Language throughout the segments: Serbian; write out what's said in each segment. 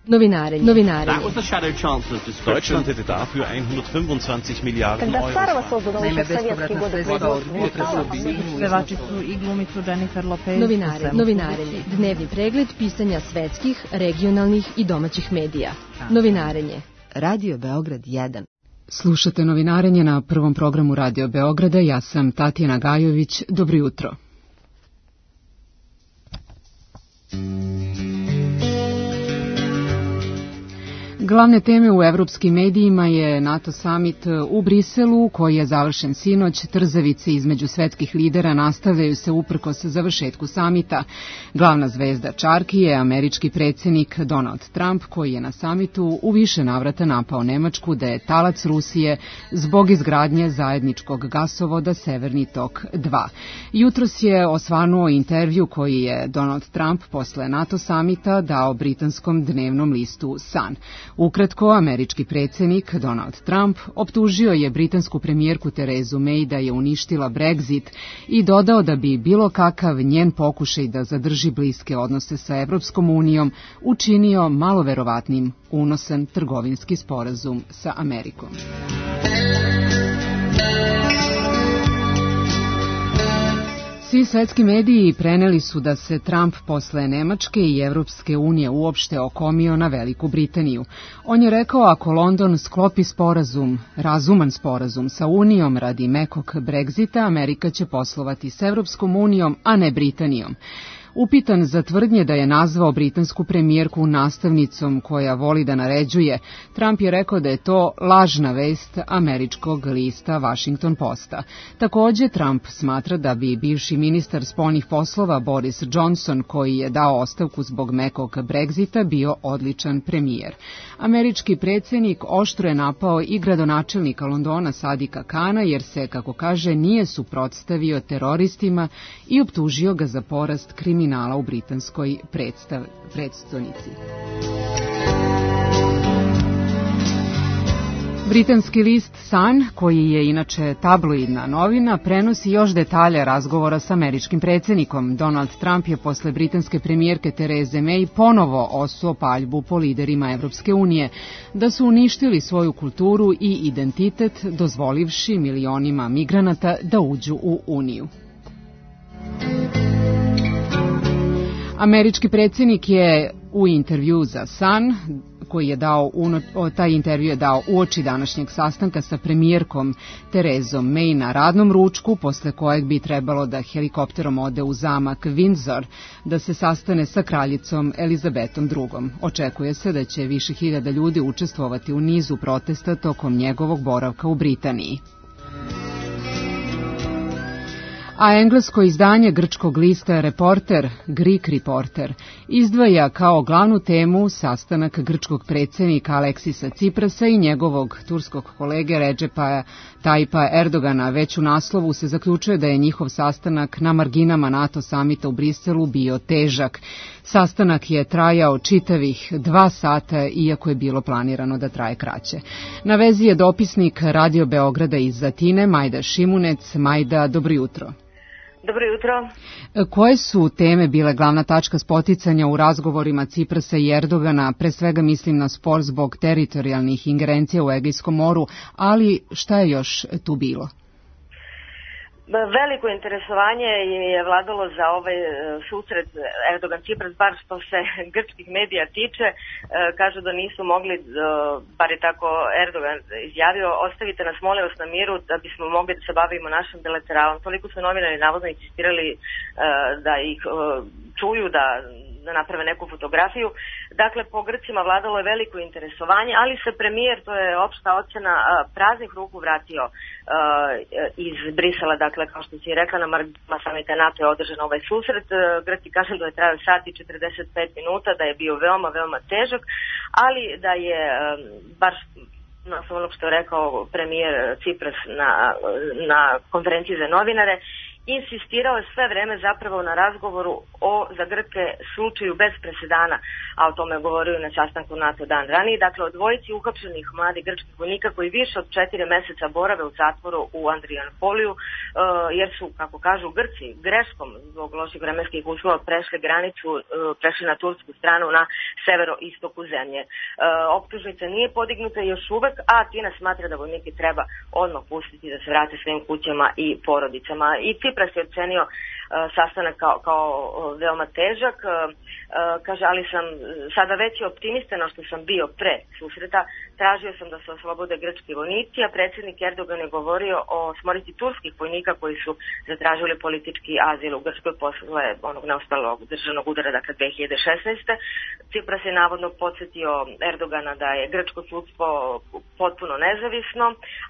Novinarenje. Deutschland hätte dafür 125 Miliarden Euro. Naime, bespovratna sredstva od unutra su obisnuju. Pevačicu i glumicu Jennifer Lopez. Novinarenje. Dnevni pregled pisanja svetskih, regionalnih i domaćih medija. Novinarenje. Radio Beograd 1. Slušate Novinarenje na prvom programu Radio Beograda. Ja sam Tatjana Gajović. Dobro jutro. Glavne teme u evropskim medijima je NATO summit u Briselu, koji je završen sinoć. Trzavice između svetskih lidera nastavljaju se uprkos završetku samita. Glavna zvezda čarki je američki predsjednik Donald Trump, koji je na samitu u više navrata napao Nemačku da je talac Rusije zbog izgradnje zajedničkog gasovoda Severni tok 2. Jutros je osvanuo intervju koji je Donald Trump posle NATO samita dao britanskom dnevnom listu Sun. Ukratko, američki predsjednik Donald Trump optužio je britansku premijerku Terezu May da je uništila Brexit i dodao da bi bilo kakav njen pokušaj da zadrži bliske odnose sa Evropskom unijom učinio malo verovatnim unosan trgovinski sporazum sa Amerikom. Svi svetski mediji preneli su da se Trump posle Nemačke i Evropske unije uopšte okomio na Veliku Britaniju. On je rekao ako London sklopi sporazum, razuman sporazum sa Unijom radi mekog Brexita, Amerika će poslovati s Evropskom unijom, a ne Britanijom. Upitan za tvrdnje da je nazvao britansku premijerku nastavnicom koja voli da naređuje, Trump je rekao da je to lažna vest američkog lista Washington Posta. Također, Trump smatra da bi bivši ministar spoljnih poslova Boris Johnson, koji je dao ostavku zbog mekog Brexita, bio odličan premijer. Američki predsjednik oštro je napao i gradonačelnika Londona Sadika Kana, jer se, kako kaže, nije suprotstavio teroristima i optužio ga za porast kriminala u britanskoj predstavnici. Britanski list Sun, koji je inače tabloidna novina, prenosi još detalje razgovora s američkim predsjednikom. Donald Trump je posle britanske premijerke Tereze May ponovo osuo paljbu po liderima Evropske unije, da su uništili svoju kulturu i identitet, dozvolivši milionima migranata da uđu u Uniju. Američki predsjednik je u intervju za Sun, koji je dao, taj intervju je dao uoči današnjeg sastanka sa premijerkom Terezom May na radnom ručku, posle kojeg bi trebalo da helikopterom ode u zamak Windsor da se sastane sa kraljicom Elizabetom II. Očekuje se da će više hiljada ljudi učestvovati u nizu protesta tokom njegovog boravka u Britaniji. A englesko izdanje grčkog lista Reporter, Greek Reporter, izdvaja kao glavnu temu sastanak grčkog predsjednika Aleksisa Ciprasa i njegovog turskog kolege Recepa Tayyipa Erdogana. Već u naslovu se zaključuje da je njihov sastanak na marginama NATO samita u Briselu bio težak. Sastanak je trajao čitavih 2 sata, iako je bilo planirano da traje kraće. Na vezi je dopisnik Radio Beograda iz Atine, Majda Šimunec. Majda, dobro jutro. Dobro jutro. Koje su teme bile glavna tačka spoticanja u razgovorima Ciprasa i Erdogana? Pre svega mislim na spor zbog teritorijalnih ingerencija u Egejskom moru, ali šta je još tu bilo? Veliko interesovanje je vladalo za ovaj susret Erdogan-Cipras, bar što se grčkih medija tiče. Kažu da nisu mogli, bar je tako Erdogan izjavio, ostavite nas molim vas na miru da bismo mogli da se bavimo našim bilateralom. Toliko su novinari navodno insistirali da ih čuju, da naprave neku fotografiju. Dakle, po Grcima vladalo je veliko interesovanje, ali se premijer, to je opšta ocena, praznih ruku vratio iz Brisela. Dakle, kao što si rekla, na marginama samita NATO je održan ovaj susret. Grci kažem da je trajao sat i 45 minuta, da je bio veoma, veoma težak, ali da je baš na onog što je rekao premijer Cipras na konferenciji za novinare, insistirao je sve vreme zapravo na razgovoru o za Grke slučaju bez presedana, a o tome govorio na sastanku NATO dan ranije. Dakle, o dvojici uhapšenih mladih grčkih vojnika koji više od 4 meseca borave u zatvoru u Andrianopoliju, jer su, kako kažu Grci, greškom zbog loših vremenskih uslova prešli granicu, prešli na tursku stranu na severoistoku zemlje. Optužnica nije podignuta još uvek, a Atina smatra da vojnike treba odmah pustiti da se vrate svojim kućama i porodicama. I Cipras je ocenio sastanak kao veoma težak, kaže, ali sam sada veći optimista no što sam bio pre susreta, tražio sam da se oslobode grčki vojnici, a predsjednik Erdogan je govorio o smrti turskih vojnika koji su zatražili politički azil u Grčkoj posle onog neuspelog državnog udara, dakle 2016. Cipras je navodno podsjetio Erdogana da je grčko sudstvo potpuno nezavisno,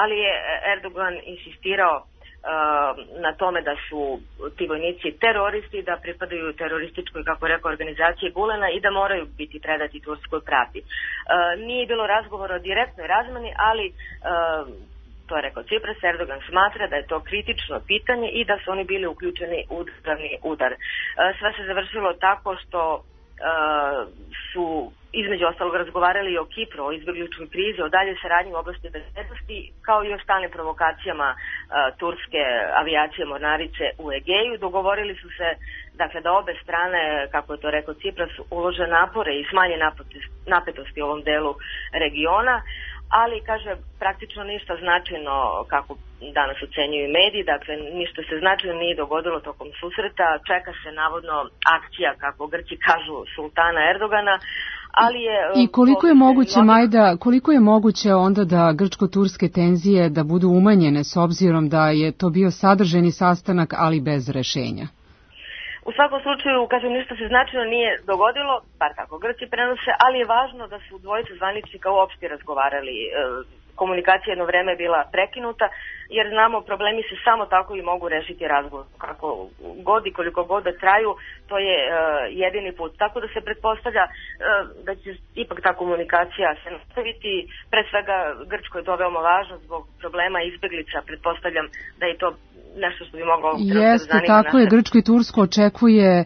ali je Erdogan insistirao na tome da su ti vojnici teroristi, da pripadaju terorističkoj, kako rekao, organizaciji Gulena i da moraju biti predati turskoj pravdi. Nije bilo razgovora o direktnoj razmeni, ali to je rekao Cipras, Erdogan smatra da je to kritično pitanje i da su oni bili uključeni u državni udar. Sve se završilo tako što su između ostalog razgovarali i o Kipru, o izbjegličkoj krizi, o dalje saradnji u oblasti bezbednosti, kao i o stalnim provokacijama turske avijacije mornarice u Egeju. Dogovorili su se, dakle, da obe strane, kako je to rekao Cipras, ulože napore i smanje napetosti u ovom delu regiona, ali, kaže, praktično ništa značajno, kako danas ocenjuju mediji, dakle, ništa se značajno nije dogodilo tokom susreta, čeka se navodno akcija, kako Grci kažu, sultana Erdogana, ali je... I koliko je moguće, Majda, koliko je moguće onda da grčko-turske tenzije da budu umanjene s obzirom da je to bio sadržajni sastanak, ali bez rešenja? U svakom slučaju, kažem, ništa se značajno nije dogodilo, bar tako Grci prenose, ali je važno da su dvojica zvaničnika uopšte razgovarali. Komunikacija jedno vreme je bila prekinuta, jer znamo, problemi se samo tako i mogu rešiti razgovor. Kako god i koliko god da traju, to je jedini put. Tako da se pretpostavlja da će ipak ta komunikacija se nastaviti. Pre svega, Grčkoj je to veoma važno zbog problema izbeglica. Pretpostavljam da je to nešto što bi moglo... Jeste, tako je. Grčko i Tursko očekuje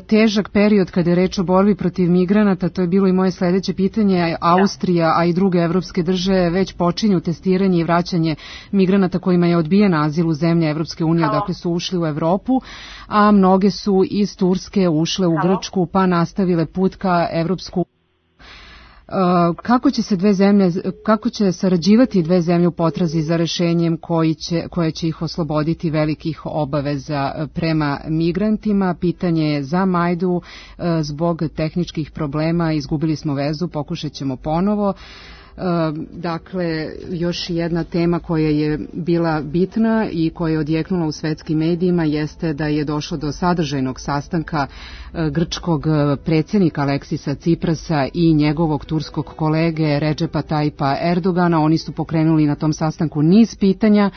težak period kada je reč o borbi protiv migranata. To je bilo i moje sledeće pitanje. Austrija, a i druge evropske države već počinju testiranje i vraćanje migranata kojima je odbijen azil u zemlje Evropske unije, dakle su ušli u Evropu, a mnoge su iz Turske ušle u Grčku pa nastavile put ka Evropsku. Kako će sarađivati dve zemlje u potrazi za rešenjem koje će ih osloboditi velikih obaveza prema migrantima? Pitanje je za Majdu, zbog tehničkih problema izgubili smo vezu, pokušat ćemo ponovo. Dakle, još jedna tema koja je bila bitna i koja je odjeknula u svetskim medijima jeste da je došlo do sadržajnog sastanka grčkog predsjednika Aleksisa Ciprasa i njegovog turskog kolege Redžepa Tayyipa Erdogana. Oni su pokrenuli na tom sastanku niz pitanja.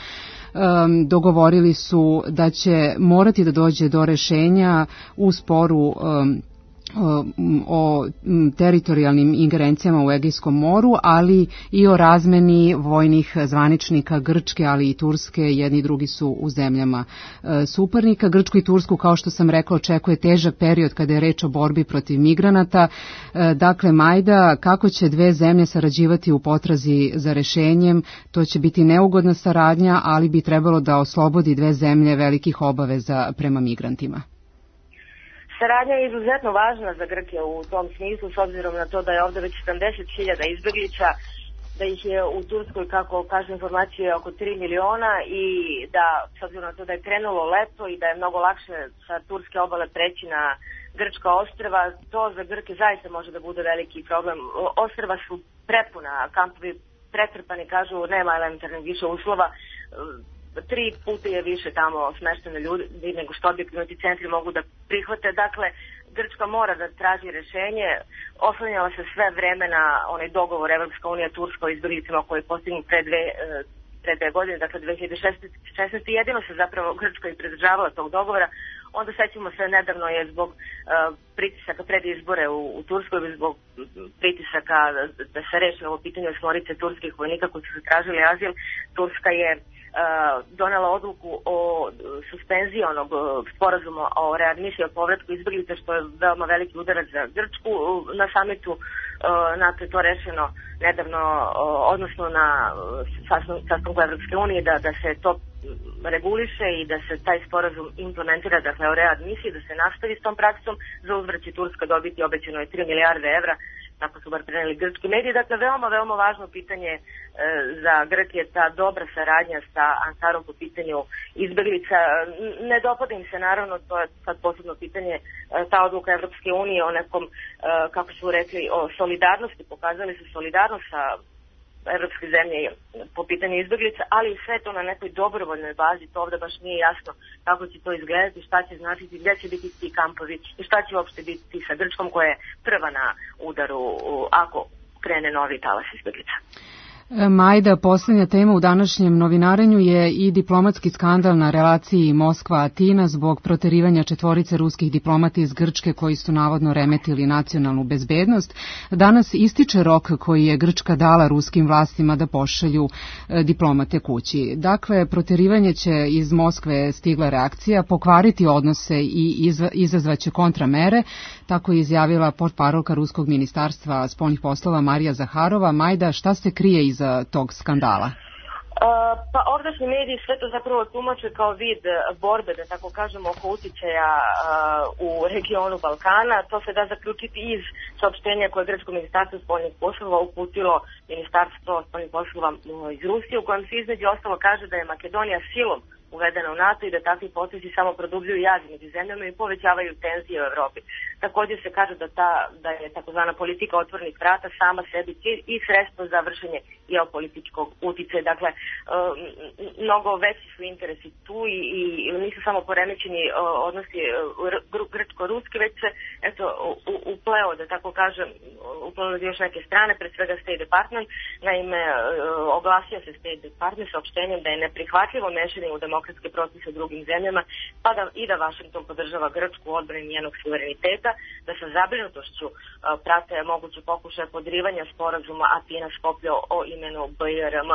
Dogovorili su da će morati da dođe do rešenja u sporu o teritorijalnim ingerencijama u Egejskom moru, ali i o razmeni vojnih zvaničnika Grčke, ali i Turske. Jedni i drugi su u zemljama suparnika. Grčku i Tursku, kao što sam rekla, očekuje težak period kada je reč o borbi protiv migranata. Dakle, Majda, kako će dve zemlje sarađivati u potrazi za rešenjem? To će biti neugodna saradnja, ali bi trebalo da oslobodi dve zemlje velikih obaveza prema migrantima. Saradnja je izuzetno važna za Grke u tom smislu, s obzirom na to da je ovdje već 70.000 izbeglica, da ih je u Turskoj, kako kažu informacije, oko 3 miliona i da, s obzirom na to da je krenulo leto i da je mnogo lakše sa turske obale preći na grčka ostrva, to za Grke zaista može da bude veliki problem. Ostrva su prepuna, kampovi pretrpani, kažu nema elementarnih više uslova, 3 puta je više tamo smeštene ljudi nego što objektivni centri mogu da prihvate. Dakle, Grčka mora da traži rešenje. Oslanjala se sve vreme na onaj dogovor Evropska unija Turska o izbeglicama koji je postignut pre pre 2 godine, dakle 2016. jedino se zapravo Grčka i pridržavala tog dogovora. Onda sećamo se, nedavno je zbog pritisaka pred izbore u Turskoj, zbog pritisaka da se reši ovo pitanje 8 turskih vojnika koji su tražili azil, Turska je donela odluku o suspenziji onog sporazuma o readmisiji, o povratku izbjeglica, što je veoma veliki udarac za Grčku. Na samitu NATO je to rešeno nedavno, odnosno na sastanku Evropske unije, da se to reguliše i da se taj sporazum implementira, dakle o readmisiji, da se nastavi s tom praksom. Za uzvrat će Turska dobiti, obećano je 3 milijarde evra, tako su bar preneli grčki mediji. Dakle, veoma važno pitanje za Grke je ta dobra saradnja sa Ankarom po pitanju izbjeglica. Ne dopada im se, naravno, to je sad posebno pitanje, ta odluka Evropske unije o nekom, kako su rekli, o solidarnosti. Pokazali su solidarnost sa evropske zemlje po pitanju izbjeglica, ali sve to na nekoj dobrovoljnoj bazi. To ovdje baš nije jasno kako će to izgledati, šta će značiti, gdje će biti ti kampovi i šta će uopšte biti sa Grčkom koja je prva na udaru ako krene novi talas izbjeglica. Majda, posljednja tema u današnjem novinarenju je i diplomatski skandal na relaciji Moskva-Atina zbog proterivanja 4 ruskih diplomata iz Grčke koji su navodno remetili nacionalnu bezbednost. Danas ističe rok koji je Grčka dala ruskim vlastima da pošalju diplomate kući. Dakle, proterivanje će iz Moskve stigla reakcija, pokvariti odnose i izazvaće kontramere, tako je izjavila portparolka Ruskog ministarstva spoljnih poslova Marija Zaharova. Majda, šta se krije iza tog skandala? Pa ovdašnji mediji sve to zapravo tumače kao vid borbe, da tako kažemo, oko uticaja u regionu Balkana. To se da zaključiti iz saopštenja koje je Grčko ministarstvo spoljnih poslova uputilo Ministarstvo spoljnih poslova iz Rusije, u kojem se između ostalo kaže da je Makedonija silom uvedena u NATO i da takvi potezi samo produbljuju jaz među zemljama i povećavaju tenzije u Evropi. Također se kaže da je takozvana politika otvorenih vrata sama sebi cilj i sredstvo za vršenje geopolitičkog uticaja. Dakle, mnogo veći su interesi tu i nisu samo poremećeni odnosi grčko-ruski, već se upleo, da tako kažem, upleo još neke strane, pre svega State Department. Naime, oglasio se State Department saopštenjem da je neprihvatljivo mešanje u demokratske procese u drugim zemljama, pa da Washington podržava Grčku u odbrani njenog suvereniteta, da sa zabrinutošću prate moguće pokušaje podrivanja sporazuma Atina-Skoplje o imenu BRM.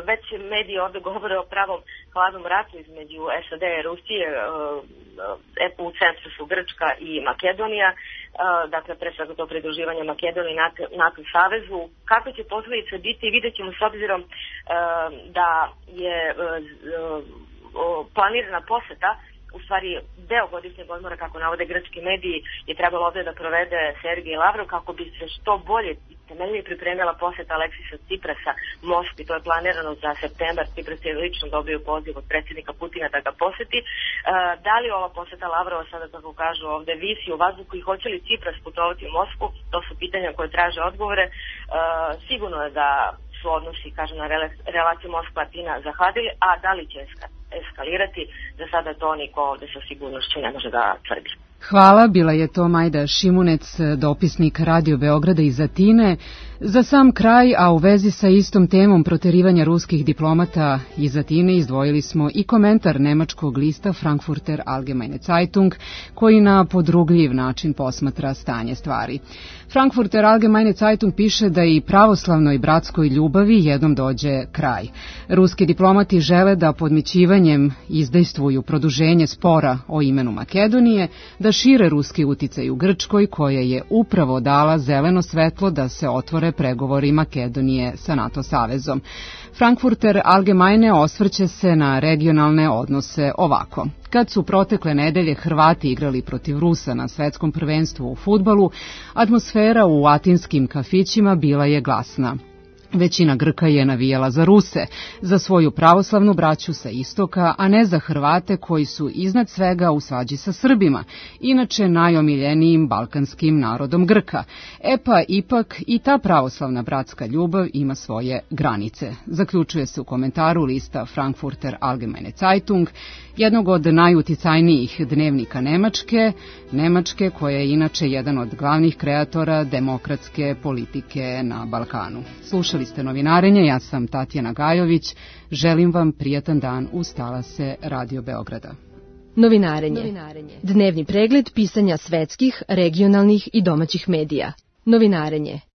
Već mediji ovdje govore o pravom hladnom ratu između SAD i Rusije, u centru su Grčka i Makedonija, dakle pre svega to pridruživanje Makedonije NATO savezu. Kakve će posljedice biti, vidjet ćemo s obzirom da je planirana poseta, u stvari deo godišnjeg odmora, kako navode grčki mediji, je trebalo ovdje da provede Sergej Lavrov kako bi se što bolje i temeljnije pripremila poseta Aleksisa Ciprasa Moskvi. To je planirano za septembar. Cipras je lično dobio poziv od predsjednika Putina da ga poseti. Da li ova poseta Lavrova sada, kako kažu ovdje, visi u vazduhu i hoće li Cipras putovati u Moskvu? To su pitanja koje traže odgovore. Sigurno je da su odnosi, kažem, na relaciju Moskva-Atina zahladili, a da li će eskalirati, za sada to niko ovdje sa sigurnošću ne može da tvrdi. Hvala, bila je to Majda Šimunec, dopisnik Radio Beograda iz Atine. Za sam kraj, a u vezi sa istom temom proterivanja ruskih diplomata iz Atine, izdvojili smo i komentar nemačkog lista Frankfurter Allgemeine Zeitung, koji na podrugljiv način posmatra stanje stvari. Frankfurter Allgemeine Zeitung piše da i pravoslavnoj bratskoj ljubavi jednom dođe kraj. Ruski diplomati žele da podmićivanjem izdejstvuju produženje spora o imenu Makedonije, da šire ruski uticaj u Grčkoj, koja je upravo dala zeleno svetlo da se otvore pregovori Makedonije sa NATO savezom. Frankfurter Allgemeine osvrće se na regionalne odnose ovako. Kad su protekle nedelje Hrvati igrali protiv Rusa na svetskom prvenstvu u fudbalu, atmosfera u atinskim kafićima bila je glasna. Većina Grka je navijala za Ruse, za svoju pravoslavnu braću sa istoka, a ne za Hrvate koji su iznad svega u svađi sa Srbima, inače najomiljenijim balkanskim narodom Grka. Pa ipak i ta pravoslavna bratska ljubav ima svoje granice. Zaključuje se u komentaru lista Frankfurter Allgemeine Zeitung. jednog od najuticajnijih dnevnika Nemačke koja je inače jedan od glavnih kreatora demokratske politike na Balkanu. Slušali ste Novinarenje, ja sam Tatjana Gajović, želim vam prijatan dan uz talase Radio Beograda. Novinarenje. Dnevni pregled pisanja svetskih, regionalnih i domaćih medija. Novinarenje.